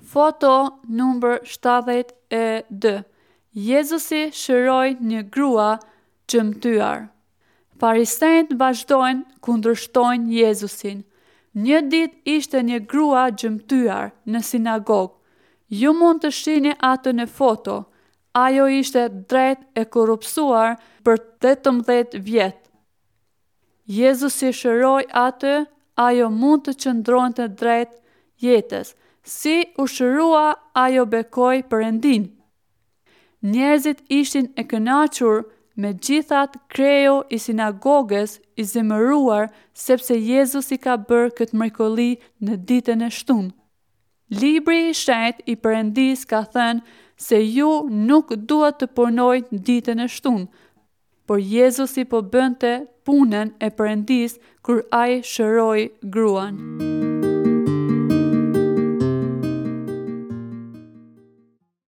Foto numër 72 Jezusi shëroi një grua gjymtyrë. Farisenjtë vazhdojnë kundërshtojnë Jezusin. Një ditë ishte një grua gjymtyrë në sinagogë. Ju mund të shihni atë në foto. Ajo ishte drejt e korrupsuar për 18 vjet. Jezusi shëroi atë, ajo mund të qëndronte drejt jetës. Si u shërua, ajo bekoi Perëndinë. Njerëzit ishin e kënaqur, megjithatë kreu i sinagogës i zemëruar sepse Jezusi ka bërë këtë mrekulli në ditën e shtunë. Libri i shenjtë i Perëndisë ka thënë se ju nuk duhet të punojnë ditën e shtunë, por Jezusi po bënte punën e Perëndisë kur ai shëroi gruan.